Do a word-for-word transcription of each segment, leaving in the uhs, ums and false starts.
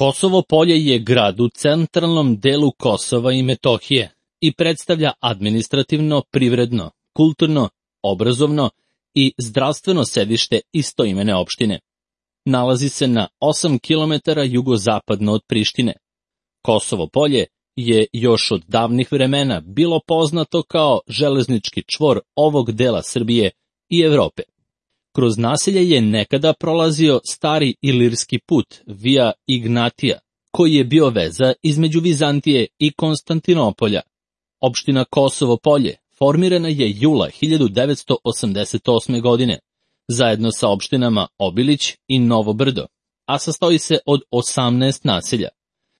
Kosovo Polje je grad u centralnom delu Kosova i Metohije i predstavlja administrativno, privredno, kulturno, obrazovno i zdravstveno sedište istoimene opštine. Nalazi se na osam kilometara jugozapadno od Prištine. Kosovo Polje je još od davnih vremena bilo poznato kao železnički čvor ovog dela Srbije i Evrope. Kroz naselje je nekada prolazio stari ilirski put Via Ignatija, koji je bio veza između Vizantije i Konstantinopolja. Opština Kosovo Polje formirana je jula hiljadu devetsto osamdeset osme. godine, zajedno sa opštinama Obilić i Novo Brdo, a sastoji se od osamnaest naselja: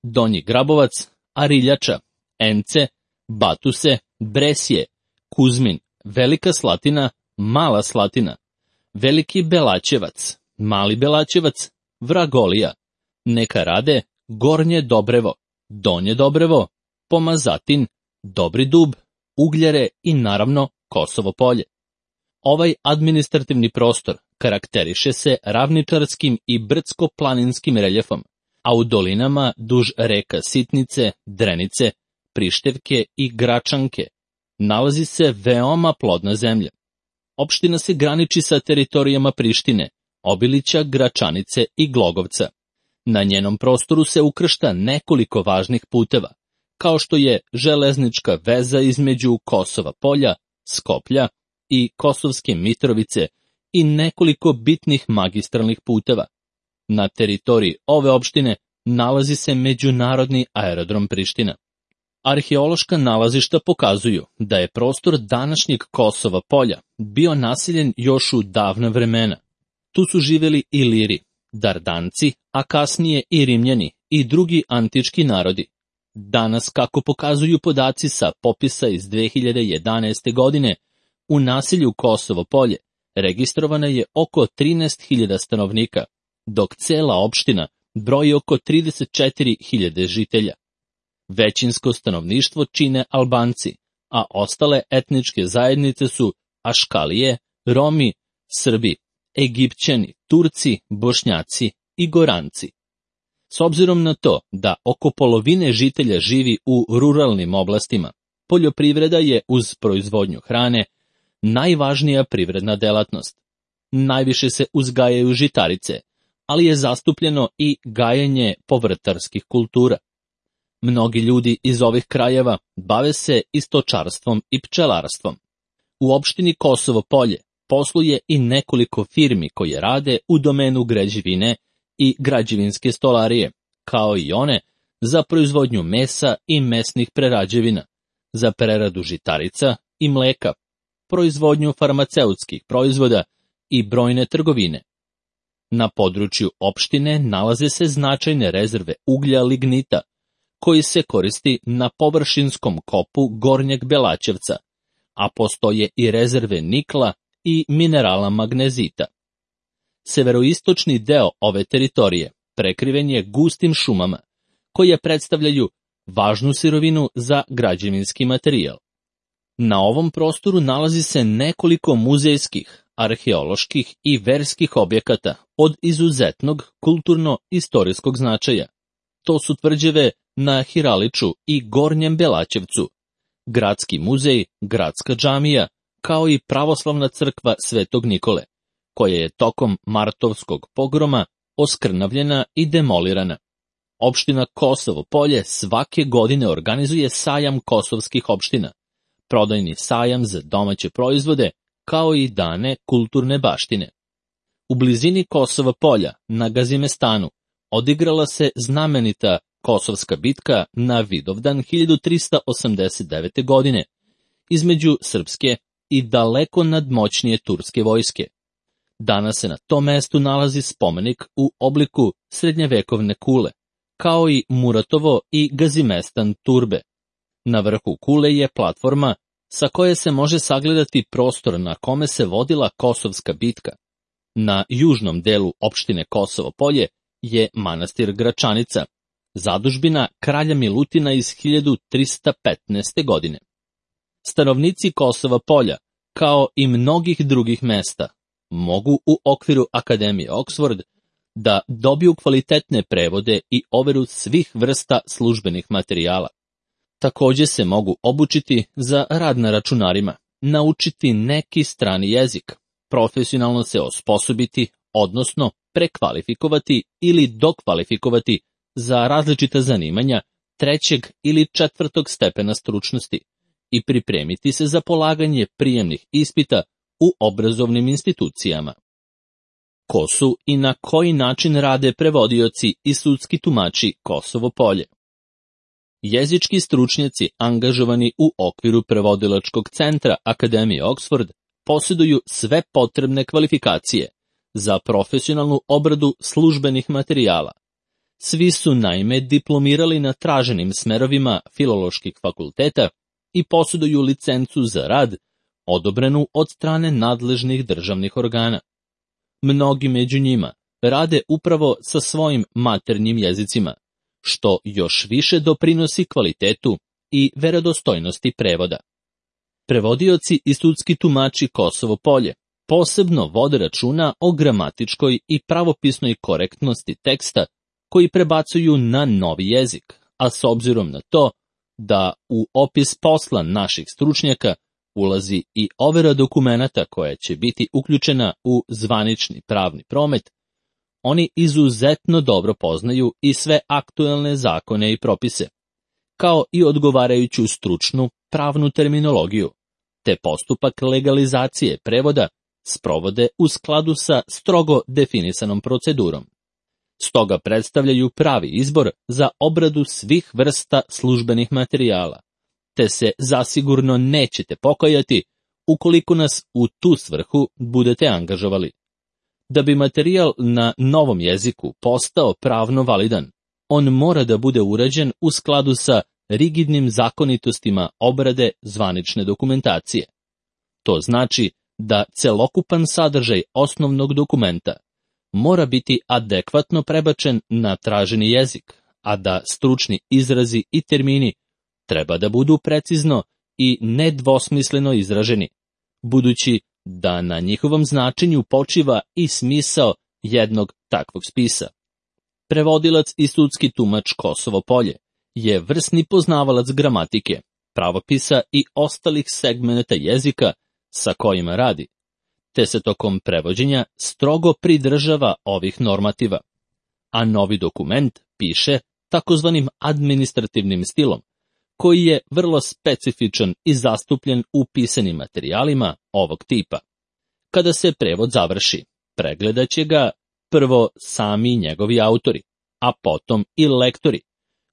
Donji Grabovac, Ariljača, Ence, Batuse, Bresje, Kuzmin, Velika Slatina, Mala Slatina, Veliki Belaćevac, Mali Belaćevac, Vragolija, Neka Rade, Gornje Dobrevo, Donje Dobrevo, Pomazatin, Dobri Dub, Ugljere i naravno Kosovo Polje. Ovaj administrativni prostor karakteriše se ravničarskim i brdsko-planinskim reljefom, a u dolinama duž reka Sitnice, Drenice, Prištevke i Gračanke nalazi se veoma plodna zemlja. Opština se graniči sa teritorijama Prištine, Obilića, Gračanice i Glogovca. Na njenom prostoru se ukršta nekoliko važnih puteva, kao što je železnička veza između Kosova Polja, Skoplja i Kosovske Mitrovice i nekoliko bitnih magistralnih puteva. Na teritoriji ove opštine nalazi se međunarodni aerodrom Priština. Arheološka nalazišta pokazuju da je prostor današnjeg Kosova Polja bio naseljen još u davna vremena. Tu su živeli Iliri, Dardanci, a kasnije i Rimljani i drugi antički narodi. Danas, kako pokazuju podaci sa popisa iz dve hiljade jedanaeste. godine, u naselju Kosovo Polje registrovano je oko trinaest hiljada stanovnika, dok cela opština broji oko trideset četiri hiljade žitelja. Većinsko stanovništvo čine Albanci, a ostale etničke zajednice su Aškalije, Romi, Srbi, Egipćani, Turci, Bošnjaci i Goranci. S obzirom na to da oko polovine žitelja živi u ruralnim oblastima, poljoprivreda je uz proizvodnju hrane najvažnija privredna delatnost. Najviše se uzgajaju žitarice, ali je zastupljeno i gajenje povrtarskih kultura. Mnogi ljudi iz ovih krajeva bave se i stočarstvom i pčelarstvom. U opštini Kosovo Polje posluje i nekoliko firmi koje rade u domenu građevine i građevinske stolarije, kao i one za proizvodnju mesa i mesnih prerađevina, za preradu žitarica i mleka, proizvodnju farmaceutskih proizvoda i brojne trgovine. Na području opštine nalaze se značajne rezerve uglja lignita, koji se koristi na površinskom kopu Gornjeg Belaćevca, a postoje i rezerve nikla i minerala magnezita. Severoistočni deo ove teritorije prekriven je gustim šumama, koje predstavljaju važnu sirovinu za građevinski materijal. Na ovom prostoru nalazi se nekoliko muzejskih, arheoloških i verskih objekata od izuzetnog kulturno-istorijskog značaja. To su tvrđave na Hiraliču i Gornjem Belaćevcu, gradski muzej, gradska džamija, kao i pravoslavna crkva Svetog Nikole, koja je tokom martovskog pogroma oskrnavljena i demolirana. Opština Kosovo Polje svake godine organizuje sajam kosovskih opština, prodajni sajam za domaće proizvode, kao i dane kulturne baštine. U blizini Kosova Polja, na Gazimestanu, odigrala se znamenita Kosovska bitka na Vidovdan hiljadu trista osamdeset devete. godine između srpske i daleko nadmoćnije turske vojske. Danas se na tom mestu nalazi spomenik u obliku srednjevekovne kule, kao i Muratovo i Gazimestan turbe. Na vrhu kule je platforma sa koje se može sagledati prostor na kome se vodila Kosovska bitka. Na južnom delu opštine Kosovo Polje je manastir Gračanica, zadužbina kralja Milutina iz hiljadu trista petnaeste. godine. Stanovnici Kosova Polja, kao i mnogih drugih mesta, mogu u okviru Akademije Oxford da dobiju kvalitetne prevode i overu svih vrsta službenih materijala. Također se mogu obučiti za rad na računarima, naučiti neki strani jezik, profesionalno se osposobiti, odnosno prekvalifikovati ili dokvalifikovati za različita zanimanja trećeg ili četvrtog stepena stručnosti i pripremiti se za polaganje prijemnih ispita u obrazovnim institucijama. Ko su i na koji način rade prevodioci i sudski tumači Kosovo Polje? Jezički stručnjaci angažovani u okviru prevodilačkog centra Akademije Oxford posjeduju sve potrebne kvalifikacije za profesionalnu obradu službenih materijala. Svi su naime diplomirali na traženim smerovima filoloških fakulteta i posjeduju licencu za rad, odobrenu od strane nadležnih državnih organa. Mnogi među njima rade upravo sa svojim maternjim jezicima, što još više doprinosi kvalitetu i verodostojnosti prevoda. Prevodioci i sudski tumači Kosovo Polje posebno vode računa o gramatičkoj i pravopisnoj korektnosti teksta koji prebacuju na novi jezik, a s obzirom na to da u opis posla naših stručnjaka ulazi i overa dokumenata koja će biti uključena u zvanični pravni promet, oni izuzetno dobro poznaju i sve aktuelne zakone i propise, kao i odgovarajuću stručnu pravnu terminologiju, te postupak legalizacije prevoda sprovode u skladu sa strogo definisanom procedurom. Stoga predstavljaju pravi izbor za obradu svih vrsta službenih materijala, te se zasigurno nećete pokajati ukoliko nas u tu svrhu budete angažovali. Da bi materijal na novom jeziku postao pravno validan, on mora da bude urađen u skladu sa rigidnim zakonitostima obrade zvanične dokumentacije. To znači da celokupan sadržaj osnovnog dokumenta mora biti adekvatno prebačen na traženi jezik, a da stručni izrazi i termini treba da budu precizno i nedvosmisleno izraženi, budući da na njihovom značenju počiva i smisao jednog takvog spisa. Prevodilac i sudski tumač Kosovo Polje je vrsni poznavalac gramatike, pravopisa i ostalih segmenata jezika sa kojima radi, te se tokom prevođenja strogo pridržava ovih normativa, a novi dokument piše takozvanim administrativnim stilom, koji je vrlo specifičan i zastupljen u pisanim materijalima ovog tipa. Kada se prevod završi, pregledat će ga prvo sami njegovi autori, a potom i lektori,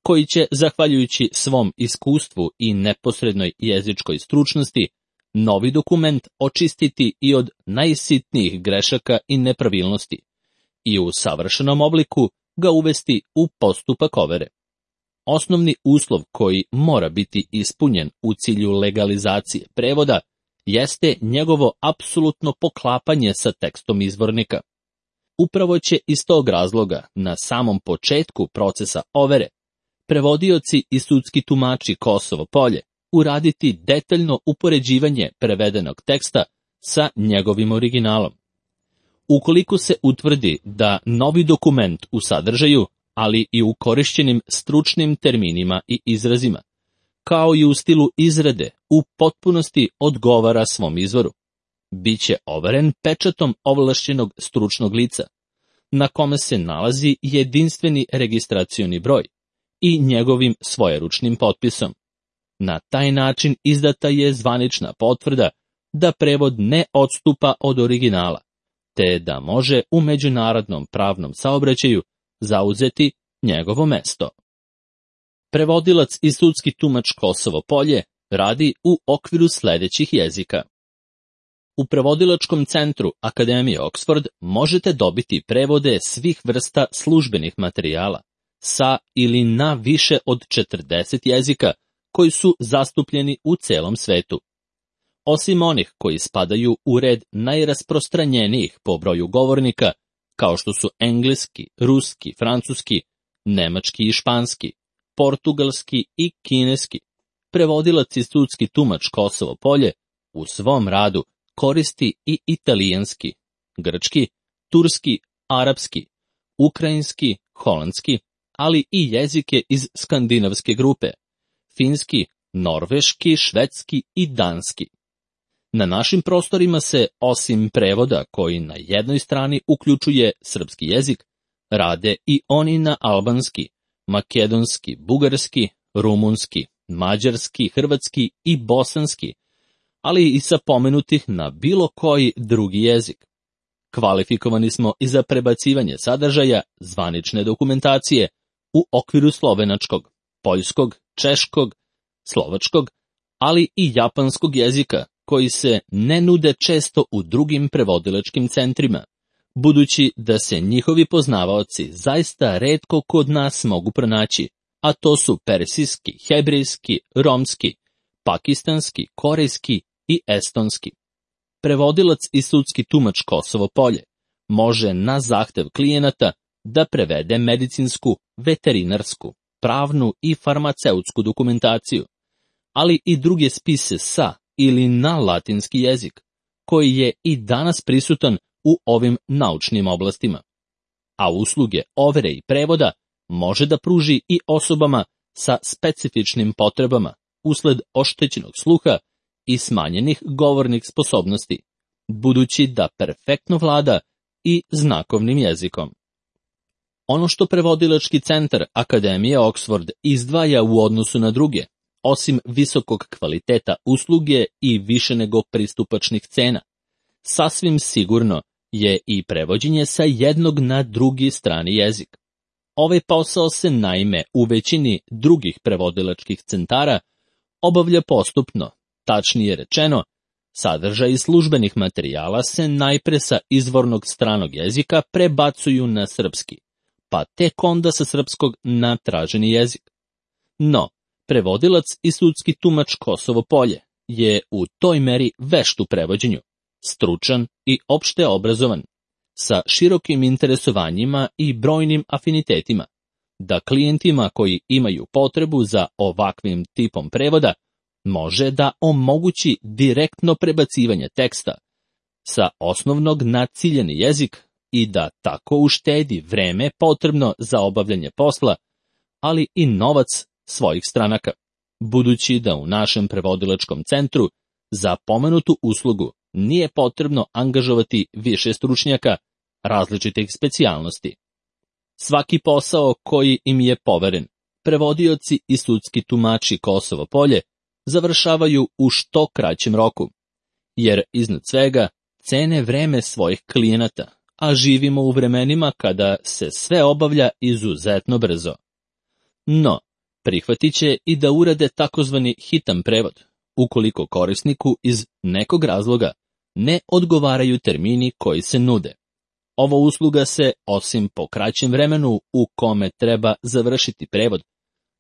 koji će, zahvaljujući svom iskustvu i neposrednoj jezičkoj stručnosti, novi dokument očistiti i od najsitnijih grešaka i nepravilnosti i u savršenom obliku ga uvesti u postupak overe. Osnovni uslov koji mora biti ispunjen u cilju legalizacije prevoda jeste njegovo apsolutno poklapanje sa tekstom izvornika. Upravo će iz tog razloga na samom početku procesa overe prevodioci i sudski tumači Kosovo Polje uraditi detaljno upoređivanje prevedenog teksta sa njegovim originalom. Ukoliko se utvrdi da novi dokument u sadržaju, ali i u korišćenim stručnim terminima i izrazima, kao i u stilu izrade, u potpunosti odgovara svom izvoru, biće overen pečatom ovlašćenog stručnog lica, na kome se nalazi jedinstveni registracioni broj i njegovim svojeručnim potpisom. Na taj način izdata je zvanična potvrda da prevod ne odstupa od originala, te da može u međunarodnom pravnom saobraćaju zauzeti njegovo mesto. Prevodilac i sudski tumač Kosovo Polje radi u okviru sljedećih jezika. U prevodilačkom centru Akademije Oxford možete dobiti prevode svih vrsta službenih materijala sa ili na više od četrdeset jezika koji su zastupljeni u celom svetu. Osim onih koji spadaju u red najrasprostranjenijih po broju govornika, kao što su engleski, ruski, francuski, nemački i španski, portugalski i kineski, prevodilac i sudski tumač Kosovo Polje u svom radu koristi i italijanski, grčki, turski, arapski, ukrajinski, holandski, ali i jezike iz skandinavske grupe, finski, norveški, švedski i danski. Na našim prostorima se, osim prevoda koji na jednoj strani uključuje srpski jezik, rade i oni na albanski, makedonski, bugarski, rumunski, mađarski, hrvatski i bosanski, ali i sa pomenutih na bilo koji drugi jezik. Kvalifikovani smo i za prebacivanje sadržaja zvanične dokumentacije u okviru slovenačkog, poljskog, češkog, slovačkog, ali i japanskog jezika, koji se ne nude često u drugim prevodilačkim centrima, budući da se njihovi poznavaoci zaista retko kod nas mogu pronaći, a to su persijski, hebrejski, romski, pakistanski, korejski i estonski. Prevodilac i sudski tumač Kosovo Polje može na zahtev klijenata da prevede medicinsku, veterinarsku, pravnu i farmaceutsku dokumentaciju, ali i druge spise sa ili na latinski jezik, koji je i danas prisutan u ovim naučnim oblastima. A usluge overe i prevoda može da pruži i osobama sa specifičnim potrebama usled oštećenog sluha i smanjenih govornih sposobnosti, budući da perfektno vlada i znakovnim jezikom. Ono što prevodilački centar Akademije Oxford izdvaja u odnosu na druge, osim visokog kvaliteta usluge i više nego pristupačnih cena, sasvim sigurno je i prevođenje sa jednog na drugi strani jezik. Ovaj posao se naime u većini drugih prevodilačkih centara obavlja postupno, tačnije rečeno, sadržaj službenih materijala se najpre sa izvornog stranog jezika prebacuju na srpski, pa tek onda sa srpskog na traženi jezik. No, prevodilac i sudski tumač Kosovo Polje je u toj meri vešt u prevođenju, stručan i opšte obrazovan, sa širokim interesovanjima i brojnim afinitetima, da klijentima koji imaju potrebu za ovakvim tipom prevoda može da omogući direktno prebacivanje teksta sa osnovnog na ciljeni jezik i da tako uštedi vreme potrebno za obavljanje posla, ali i novac svojih stranaka, budući da u našem prevodilačkom centru za pomenutu uslugu nije potrebno angažovati više stručnjaka različitih specijalnosti. Svaki posao koji im je poveren, prevodioci i sudski tumači Kosovo Polje završavaju u što kraćem roku, jer iznad svega cene vreme svojih klijenata, a živimo u vremenima kada se sve obavlja izuzetno brzo. No, prihvatit će i da urade takozvani hitan prevod, ukoliko korisniku iz nekog razloga ne odgovaraju termini koji se nude. Ova usluga se, osim po kraćem vremenu u kome treba završiti prevod,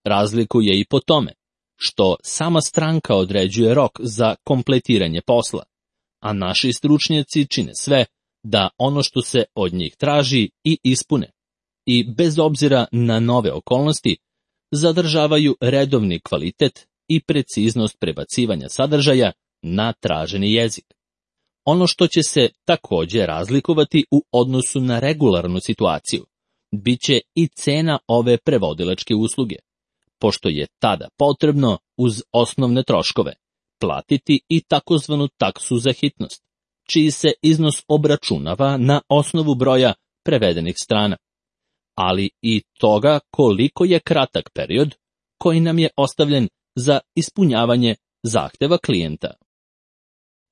razlikuje i po tome što sama stranka određuje rok za kompletiranje posla, a naši stručnjaci čine sve da ono što se od njih traži i ispune, i bez obzira na nove okolnosti, zadržavaju redovni kvalitet i preciznost prebacivanja sadržaja na traženi jezik. Ono što će se također razlikovati u odnosu na regularnu situaciju, bit će i cena ove prevodilačke usluge, pošto je tada potrebno uz osnovne troškove platiti i takozvanu taksu za hitnost, čiji se iznos obračunava na osnovu broja prevedenih strana, ali i toga koliko je kratak period koji nam je ostavljen za ispunjavanje zahteva klijenta.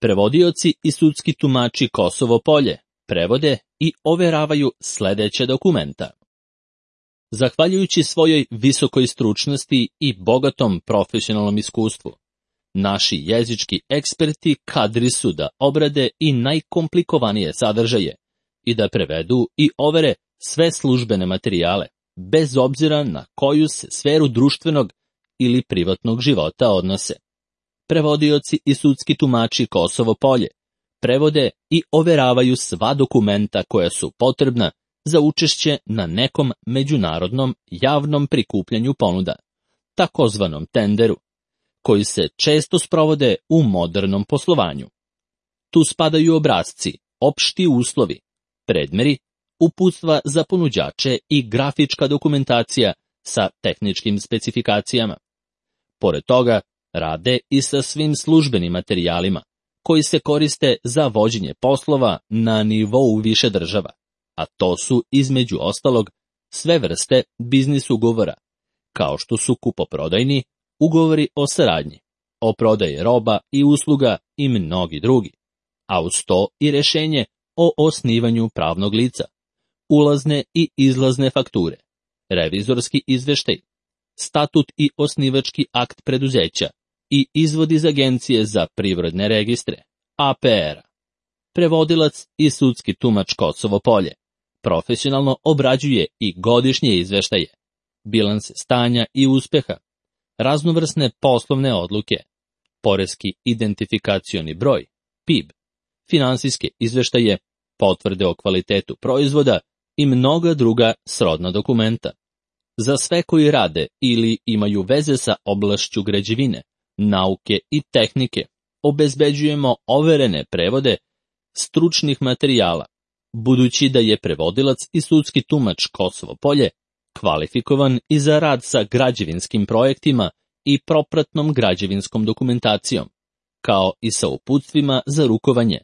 Prevodioci i sudski tumači Kosovo Polje prevode i overavaju sledeće dokumenta. Zahvaljujući svojoj visokoj stručnosti i bogatom profesionalnom iskustvu, naši jezički eksperti kadri su da obrade i najkomplikovanije sadržaje i da prevedu i overe sve službene materijale, bez obzira na koju se sferu društvenog ili privatnog života odnose. Prevodioci i sudski tumači Kosovo Polje prevode i overavaju sva dokumenta koja su potrebna za učešće na nekom međunarodnom javnom prikupljanju ponuda, takozvanom tenderu, koji se često sprovode u modernom poslovanju. Tu spadaju obrasci, opšti uslovi, predmeri, uputstva za ponuđače i grafička dokumentacija sa tehničkim specifikacijama. Pored toga, rade i sa svim službenim materijalima, koji se koriste za vođenje poslova na nivou više država, a to su, između ostalog, sve vrste biznis ugovora, kao što su kupoprodajni, ugovori o saradnji, o prodaji roba i usluga i mnogi drugi, a uz to i rješenje o osnivanju pravnog lica, ulazne i izlazne fakture, revizorski izveštaj, statut i osnivački akt preduzeća i izvod iz Agencije za privredne registre, A P R-a. Prevodilac i sudski tumač Kosovo Polje profesionalno obrađuje i godišnje izveštaje, bilanse stanja i uspeha, raznovrsne poslovne odluke, poreski identifikacioni broj, P I B, finansijske izveštaje, potvrde o kvalitetu proizvoda i mnoga druga srodna dokumenta. Za sve koji rade ili imaju veze sa oblašću građevine, nauke i tehnike, obezbeđujemo overene prevode stručnih materijala, budući da je prevodilac i sudski tumač Kosovo Polje kvalifikovan i za rad sa građevinskim projektima i propratnom građevinskom dokumentacijom, kao i sa uputstvima za rukovanje,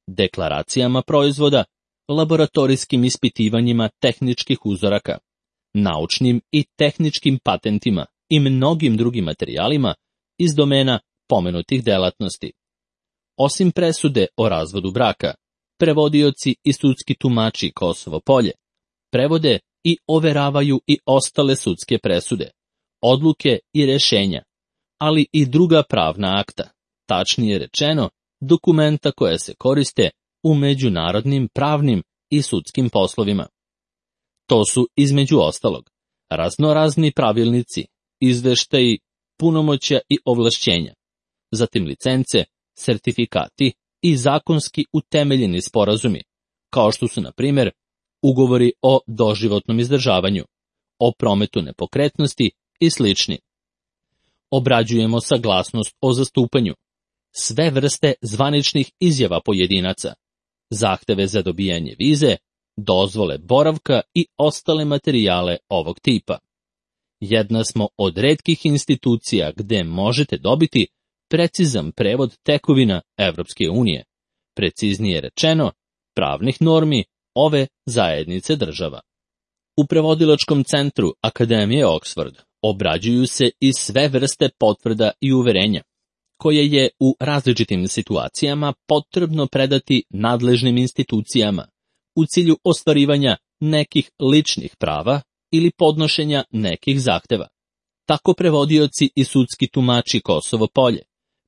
deklaracijama proizvoda, laboratorijskim ispitivanjima tehničkih uzoraka, naučnim i tehničkim patentima i mnogim drugim materijalima iz domena pomenutih delatnosti. Osim presude o razvodu braka, prevodioci i sudski tumači Kosovo Polje prevode i overavaju i ostale sudske presude, odluke i rješenja, ali i druga pravna akta, tačnije rečeno, dokumenta koje se koriste u međunarodnim pravnim i sudskim poslovima. To su, između ostalog, raznorazni pravilnici, izveštaji, punomoćja i ovlašćenja, zatim licence, sertifikati i zakonski utemeljeni sporazumi, kao što su, na primjer, ugovori o doživotnom izdržavanju, o prometu nepokretnosti i slični. Obrađujemo saglasnost o zastupanju, sve vrste zvaničnih izjava pojedinaca, zahteve za dobijanje vize, dozvole boravka i ostale materijale ovog tipa. Jedna smo od retkih institucija gde možete dobiti precizan prevod tekovina Evropske unije, preciznije rečeno, pravnih normi ove zajednice država. U prevodilačkom centru Akademije Oxford obrađuju se i sve vrste potvrda i uverenja, koje je u različitim situacijama potrebno predati nadležnim institucijama u cilju ostvarivanja nekih ličnih prava ili podnošenja nekih zahteva. Tako prevodioci i sudski tumači Kosovo Polje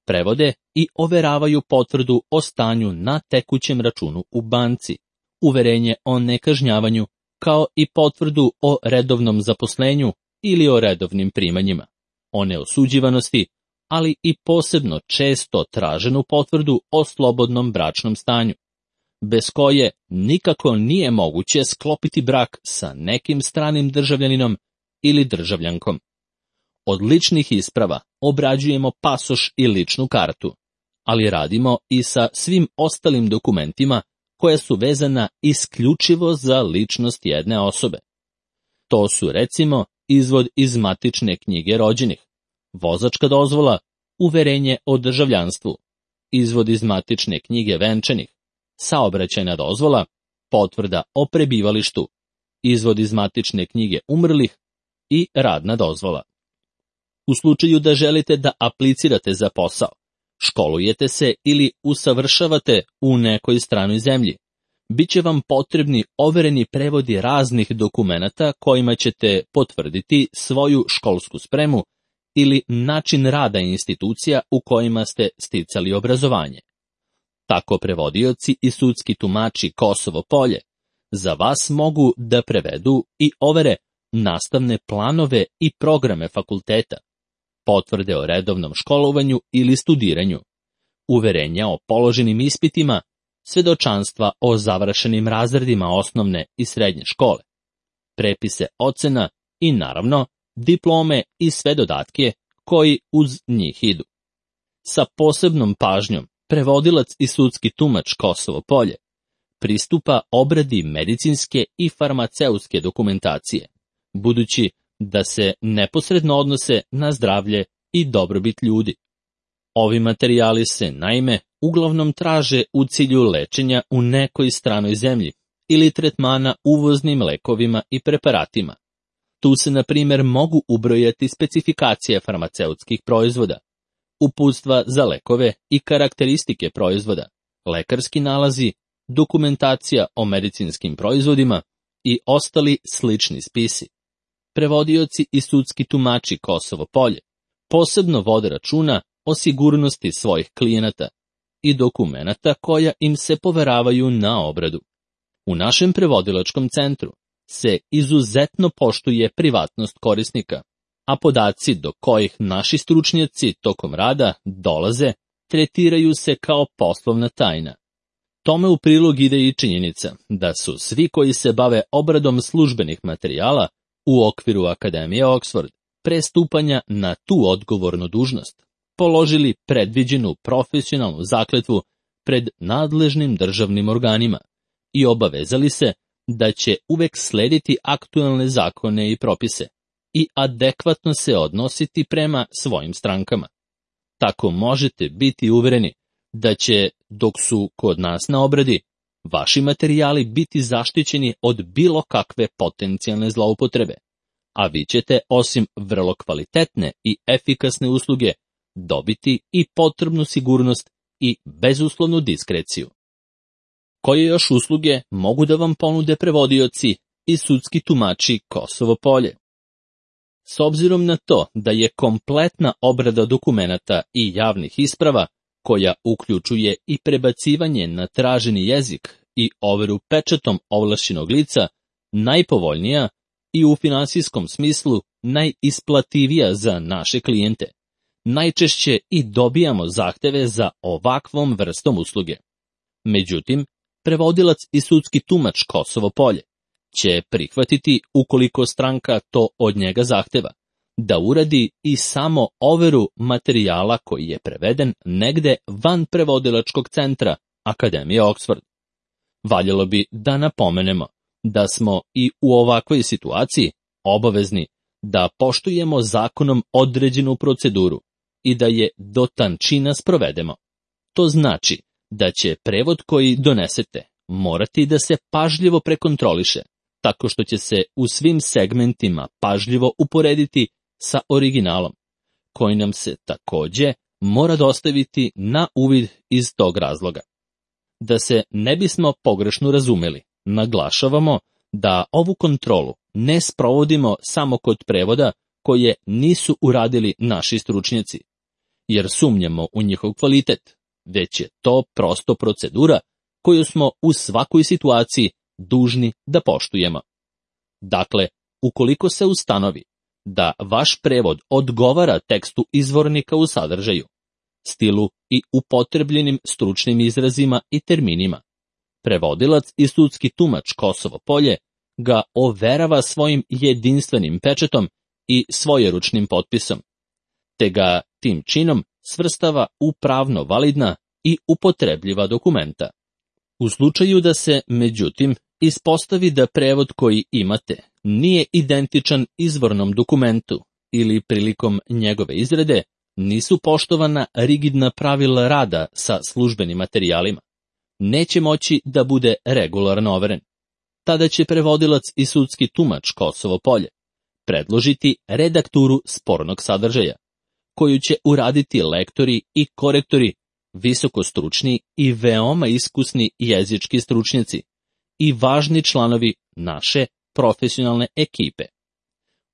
prevode i overavaju potvrdu o stanju na tekućem računu u banci, uverenje o nekažnjavanju, kao i potvrdu o redovnom zaposlenju ili o redovnim primanjima, o neosuđivanosti, ali i posebno često traženu potvrdu o slobodnom bračnom stanju, bez koje nikako nije moguće sklopiti brak sa nekim stranim državljaninom ili državljankom. Od ličnih isprava obrađujemo pasoš i ličnu kartu, ali radimo i sa svim ostalim dokumentima koja su vezana isključivo za ličnost jedne osobe. To su, recimo, izvod iz matične knjige rođenih, vozačka dozvola, uverenje o državljanstvu, izvod iz matične knjige venčanih, saobraćajna dozvola, potvrda o prebivalištu, izvod iz matične knjige umrlih i radna dozvola. U slučaju da želite da aplicirate za posao, školujete se ili usavršavate u nekoj stranoj zemlji, bit će vam potrebni overeni prevodi raznih dokumenata kojima ćete potvrditi svoju školsku spremu ili način rada institucija u kojima ste sticali obrazovanje. Tako prevodioci i sudski tumači Kosovo Polje za vas mogu da prevedu i overe nastavne planove i programe fakulteta, potvrde o redovnom školovanju ili studiranju, uverenja o položenim ispitima, svedočanstva o završenim razredima osnovne i srednje škole, prepise ocena i, naravno, diplome i sve dodatke koji uz njih idu. Sa posebnom pažnjom prevodilac i sudski tumač Kosovo Polje pristupa obradi medicinske i farmaceutske dokumentacije, budući da se neposredno odnose na zdravlje i dobrobit ljudi. Ovi materijali se, naime, uglavnom traže u cilju lečenja u nekoj stranoj zemlji ili tretmana uvoznim lekovima i preparatima. Tu se, na primjer, mogu ubrojati specifikacije farmaceutskih proizvoda, uputstva za lekove i karakteristike proizvoda, lekarski nalazi, dokumentacija o medicinskim proizvodima i ostali slični spisi. Prevodioci i sudski tumači Kosovo Polje posebno vode računa o sigurnosti svojih klijenata i dokumenata koja im se poveravaju na obradu. U našem prevodilačkom centru se izuzetno poštuje privatnost korisnika, a podaci do kojih naši stručnjaci tokom rada dolaze tretiraju se kao poslovna tajna. Tome u prilog ide i činjenica da su svi koji se bave obradom službenih materijala u okviru Akademije Oxford pre stupanja na tu odgovornu dužnost položili predviđenu profesionalnu zakletvu pred nadležnim državnim organima i obavezali se da će uvek slediti aktualne zakone i propise i adekvatno se odnositi prema svojim strankama. Tako možete biti uvereni da će, dok su kod nas na obradi, vaši materijali biti zaštićeni od bilo kakve potencijalne zloupotrebe, a vi ćete, osim vrlo kvalitetne i efikasne usluge, dobiti i potrebnu sigurnost i bezuslovnu diskreciju. Koje još usluge mogu da vam ponude prevodioci i sudski tumači Kosovo Polje? S obzirom na to da je kompletna obrada dokumenata i javnih isprava, koja uključuje i prebacivanje na traženi jezik i overu pečatom ovlašćenog lica, najpovoljnija i u finansijskom smislu najisplativija za naše klijente, najčešće i dobijamo zahteve za ovakvom vrstom usluge. Međutim, prevodilac i sudski tumač Kosovo Polje će prihvatiti, ukoliko stranka to od njega zahteva, da uradi i samo overu materijala koji je preveden negde van prevodilačkog centra Akademije Oxford. Valjalo bi da napomenemo da smo i u ovakvoj situaciji obavezni da poštujemo zakonom određenu proceduru i da je do tančina sprovedemo. To znači da će prevod koji donesete morati da se pažljivo prekontroliše, tako što će se u svim segmentima pažljivo uporediti sa originalom, koji nam se takođe mora dostaviti na uvid iz tog razloga. Da se ne bismo pogrešno razumeli, naglašavamo da ovu kontrolu ne sprovodimo samo kod prevoda koje nisu uradili naši stručnjaci, jer sumnjamo u njihov kvalitet, već je to prosto procedura koju smo u svakoj situaciji dužni da poštujemo. Dakle, ukoliko se ustanovi da vaš prevod odgovara tekstu izvornika u sadržaju, stilu i upotrebljenim stručnim izrazima i terminima, prevodilac i sudski tumač Kosovo Polje ga overava svojim jedinstvenim pečatom i svojeručnim potpisom, te ga tim činom svrstava u pravno validna i upotrebljiva dokumenta. U slučaju da se, međutim, ispostavi da prevod koji imate nije identičan izvornom dokumentu ili prilikom njegove izrade nisu poštovana rigidna pravila rada sa službenim materijalima, neće moći da bude regularno overen. Tada će prevodilac i sudski tumač Kosovo Polje predložiti redakturu spornog sadržaja, koju će uraditi lektori i korektori, visokostručni i veoma iskusni jezički stručnjaci i važni članovi naše profesionalne ekipe.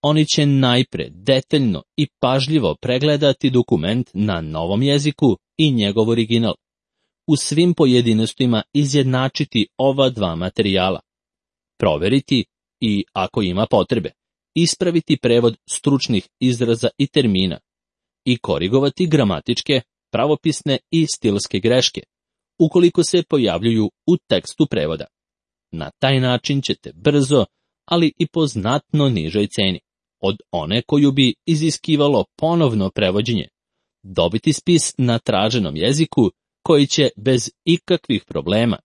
Oni će najpre detaljno i pažljivo pregledati dokument na novom jeziku i njegov original, u svim pojedinostima izjednačiti ova dva materijala, proveriti i, ako ima potrebe, ispraviti prevod stručnih izraza i termina i korigovati gramatičke, pravopisne i stilske greške, ukoliko se pojavljuju u tekstu prevoda. Na taj način ćete brzo, ali i po znatno nižoj ceni, od one koju bi iziskivalo ponovno prevođenje, dobiti spis na traženom jeziku koji će bez ikakvih problema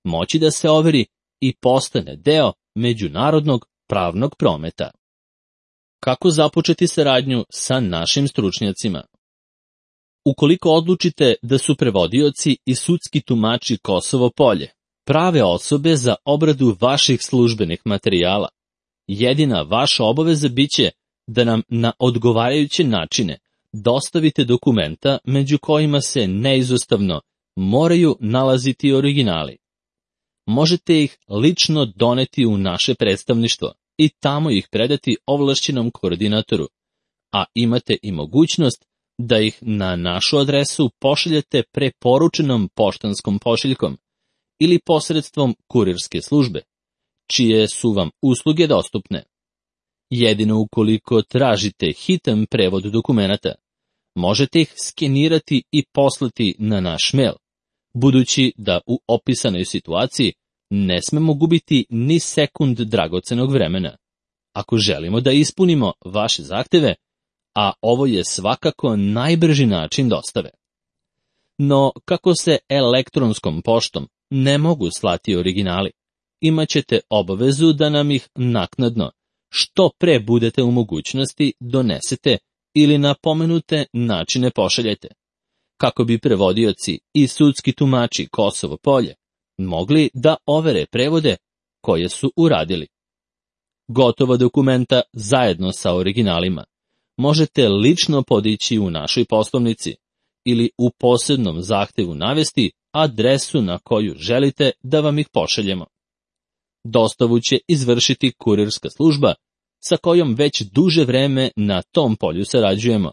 moći da se overi i postane deo međunarodnog pravnog prometa. Kako započeti saradnju sa našim stručnjacima? Ukoliko odlučite da su prevodioci i sudski tumači Kosovo Polje prave osobe za obradu vaših službenih materijala, jedina vaša obaveza biće da nam na odgovarajuće načine dostavite dokumenta među kojima se neizostavno moraju nalaziti originali. Možete ih lično doneti u naše predstavništvo i tamo ih predati ovlašćenom koordinatoru, a imate i mogućnost da ih na našu adresu pošaljete preporučenom poštanskom pošiljkom ili posredstvom kurirske službe, čije su vam usluge dostupne. Jedino ukoliko tražite hitan prevod dokumenata, možete ih skenirati i poslati na naš mail, budući da u opisanoj situaciji ne smemo gubiti ni sekund dragocenog vremena, ako želimo da ispunimo vaše zahteve, a ovo je svakako najbrži način dostave. No, kako se elektronskom poštom ne mogu slati originali, imaćete obavezu da nam ih naknadno, što pre budete u mogućnosti, donesete ili na pomenute načine pošaljete, kako bi prevodioci i sudski tumači Kosovo Polje mogli da overe prevode koje su uradili. Gotova dokumenta zajedno sa originalima možete lično podići u našoj poslovnici ili u posebnom zahtevu navesti adresu na koju želite da vam ih pošaljemo. Dostavu će izvršiti kurirska služba sa kojom već duže vreme na tom polju sarađujemo,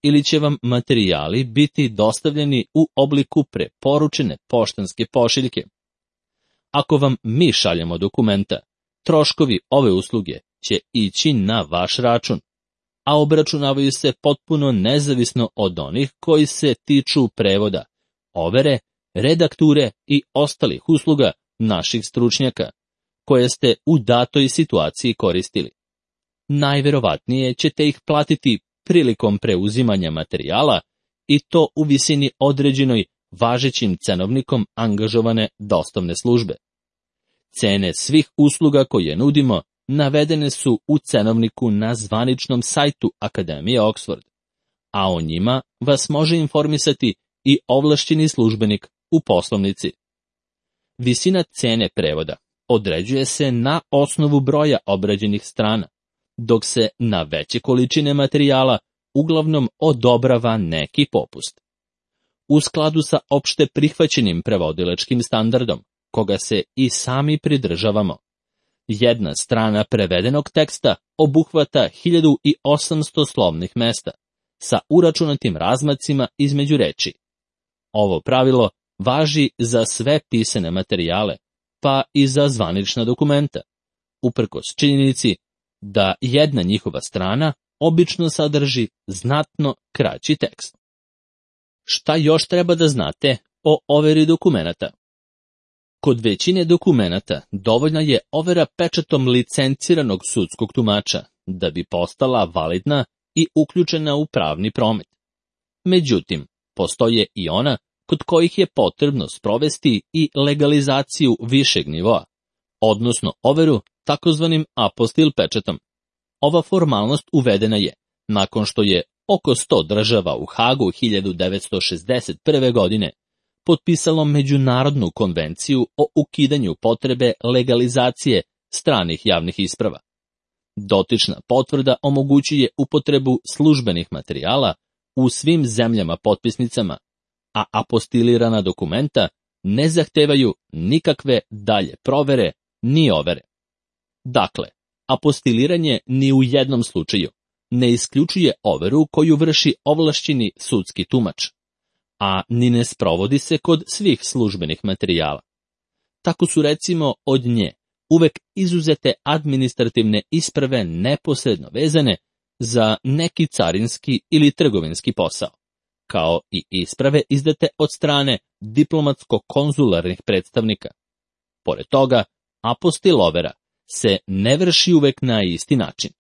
ili će vam materijali biti dostavljeni u obliku preporučene poštanske pošiljke. Ako vam mi šaljemo dokumenta, troškovi ove usluge će ići na vaš račun, a obračunavaju se potpuno nezavisno od onih koji se tiču prevoda, overe, redakture i ostalih usluga naših stručnjaka, koje ste u datoj situaciji koristili. Najverovatnije ćete ih platiti prilikom preuzimanja materijala i to u visini određenoj važećim cenovnikom angažovane dostavne službe. Cene svih usluga koje nudimo navedene su u cenovniku na zvaničnom sajtu Akademije Oxford, a o njima vas može informisati i ovlašćeni službenik u poslovnici. Visina cene prevoda određuje se na osnovu broja obrađenih strana, dok se na veće količine materijala uglavnom odobrava neki popust. U skladu sa opšte prihvaćenim prevodilačkim standardom, koga se i sami pridržavamo, jedna strana prevedenog teksta obuhvata hiljadu osamsto slovnih mesta sa uračunatim razmacima između reči. Ovo pravilo važi za sve pisane materijale, pa i za zvanična dokumenta, uprkos činjenici da jedna njihova strana obično sadrži znatno kraći tekst. Šta još treba da znate o overi dokumenata? Kod većine dokumenata dovoljna je overa pečatom licenciranog sudskog tumača da bi postala validna i uključena u pravni promet. Međutim, postoje i ona kod kojih je potrebno sprovesti i legalizaciju višeg nivoa, odnosno overu takozvanim apostil pečatom. Ova formalnost uvedena je nakon što je oko sto država u Hagu hiljadu devetsto šezdeset prve. godine potpisalo Međunarodnu konvenciju o ukidanju potrebe legalizacije stranih javnih isprava. Dotična potvrda omogućuje upotrebu službenih materijala u svim zemljama potpisnicama, a apostilirana dokumenta ne zahtevaju nikakve dalje provere ni overe. Dakle, apostiliranje ni u jednom slučaju ne isključuje overu koju vrši ovlašćeni sudski tumač, a ni ne sprovodi se kod svih službenih materijala. Tako su recimo od nje uvek izuzete administrativne isprave neposredno vezane za neki carinski ili trgovinski posao, kao i isprave izdate od strane diplomatsko-konzularnih predstavnika. Pored toga, apostil overa se ne vrši uvek na isti način.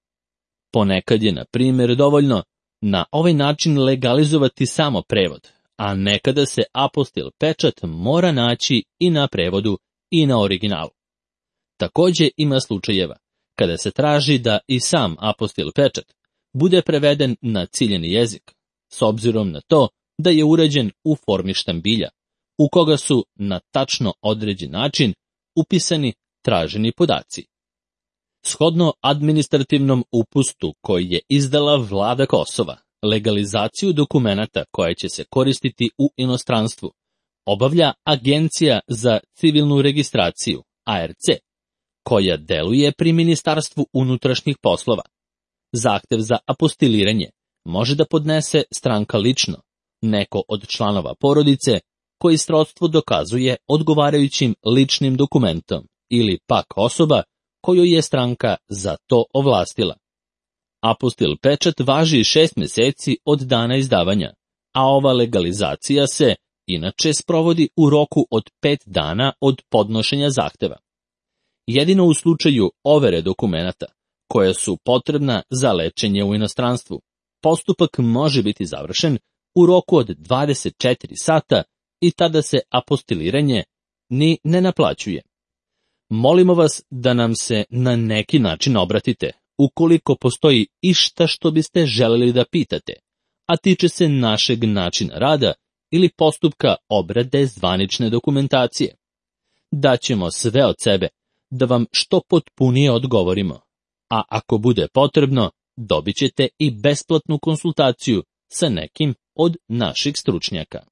Ponekad je, na primjer, dovoljno na ovaj način legalizovati samo prevod, a nekada se apostil pečat mora naći i na prevodu i na originalu. Takođe ima slučajeva kada se traži da i sam apostil pečat bude preveden na ciljeni jezik, s obzirom na to da je uređen u formi štambilja, u koga su na tačno određen način upisani traženi podaci. Shodno administrativnom upustu koji je izdala vlada Kosova, legalizaciju dokumenata koja će se koristiti u inostranstvu obavlja Agencija za civilnu registraciju, A R C, koja deluje pri Ministarstvu unutrašnjih poslova. Zahtev za apostiliranje može da podnese stranka lično, neko od članova porodice koji srodstvo dokazuje odgovarajućim ličnim dokumentom ili pak osoba koju je stranka za to ovlastila. Apostil pečat važi šest meseci od dana izdavanja, a ova legalizacija se inače sprovodi u roku od pet dana od podnošenja zahteva. Jedino u slučaju overe dokumenata, koja su potrebna za lečenje u inostranstvu, postupak može biti završen u roku od dvadeset četiri sata i tada se apostiliranje ni ne naplaćuje. Molimo vas da nam se na neki način obratite, ukoliko postoji išta što biste želeli da pitate, a tiče se našeg načina rada ili postupka obrade zvanične dokumentacije. Daćemo sve od sebe da vam što potpunije odgovorimo, a ako bude potrebno, dobit ćete i besplatnu konsultaciju sa nekim od naših stručnjaka.